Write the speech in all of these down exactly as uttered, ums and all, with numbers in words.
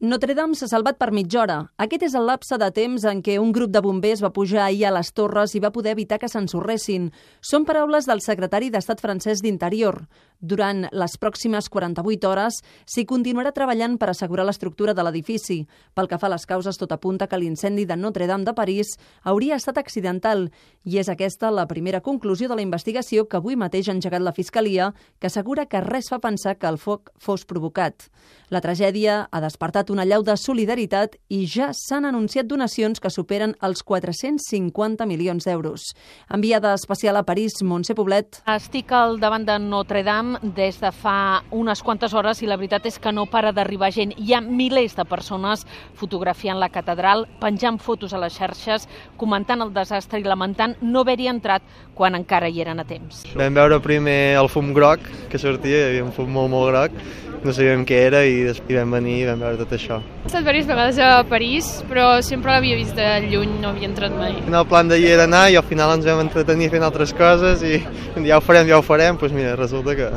Notre Dame s'ha salvat per mitja hora. Aquest és el lapse de temps en què un grup de bombers va pujar ahir a les torres i va poder evitar que s'ensorressin. Són paraules del secretari d'Estat francès d'Interior. Durant les pròximes quaranta-vuit hores s'hi continuarà treballant per assegurar l'estructura de l'edifici. Pel que fa a les causes, tot apunta que l'incendi de Notre Dame de París hauria estat accidental i és aquesta la primera conclusió de la investigació que avui mateix ha engegat la Fiscalia, que assegura que res fa pensar que el foc fos provocat. La tragèdia ha despertat una allau de solidaritat i ja s'han anunciat donacions que superen els quatre-cents cinquanta milions d'euros. Enviada especial a París, Montse Poblet. Estic al davant de Notre Dame des de fa unes quantes hores i la veritat és que no para d'arribar gent. Hi ha milers de persones fotografiant la catedral, penjant fotos a les xarxes, comentant el desastre i lamentant no haver-hi entrat quan encara hi eren a temps. Vam veure primer el fum groc que sortia, hi havia un fum molt, molt groc, no sabíem què era i després vam venir i vam veure tot això. He estat diverses vegades a París, però sempre l'havia vist de lluny, no havia entrat mai. El plan d'ahir era anar i al final ens vam entretenir fent altres coses i ja ho farem, ja ho farem, doncs mira, resulta que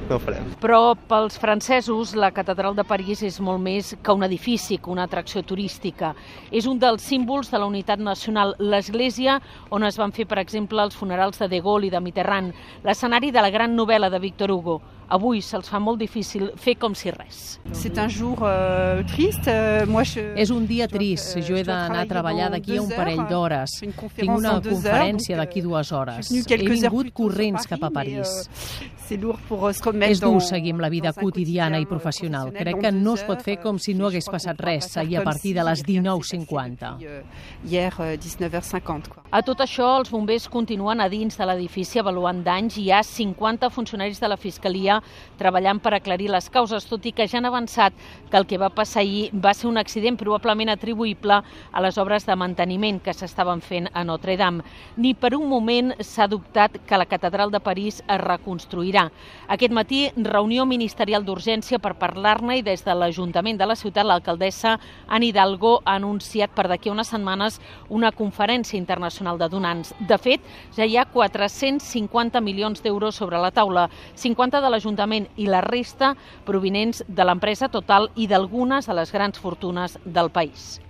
no ho farem. Però pels francesos la catedral de París és molt més que un edifici, que una atracció turística. És un dels símbols de la unitat nacional, l'església on es van fer, per exemple, els funerals de De Gaulle i de Mitterrand, l'escenari de la gran novel·la de Victor Hugo. Avui se'ls fa molt difícil fer com si res. C'est un jour euh, triste. Moi, je, és un dia trist. Jo he d'anar a treballar d'aquí a un parell d'hores. Tinc una conferència d'aquí dues hores. He vingut corrents cap a París. És dur seguir amb la vida quotidiana i professional. Crec que no es pot fer com si no hagués passat res ahir a partir de les dinou cinquanta. A tot això, els bombers continuen a dins de l'edifici avaluant danys i hi ha cinquanta funcionaris de la Fiscalia treballant per aclarir les causes, tot i que ja han avançat que el que va passar ahir va ser un accident probablement atribuïble a les obres de manteniment que s'estaven fent a Notre Dame. Ni per un moment s'ha dubtat que la catedral de París es reconstruirà. Aquest matí, reunió ministerial d'urgència per parlar-ne i des de l'Ajuntament de la ciutat, l'alcaldessa Anne Hidalgo ha anunciat per d'aquí a unes setmanes una conferència internacional de donants. De fet, ja hi ha quatre-cents cinquanta milions d'euros sobre la taula, cinquanta de l'Ajuntament i la resta provinents de l'empresa Total i d'algunes de les grans fortunes del país.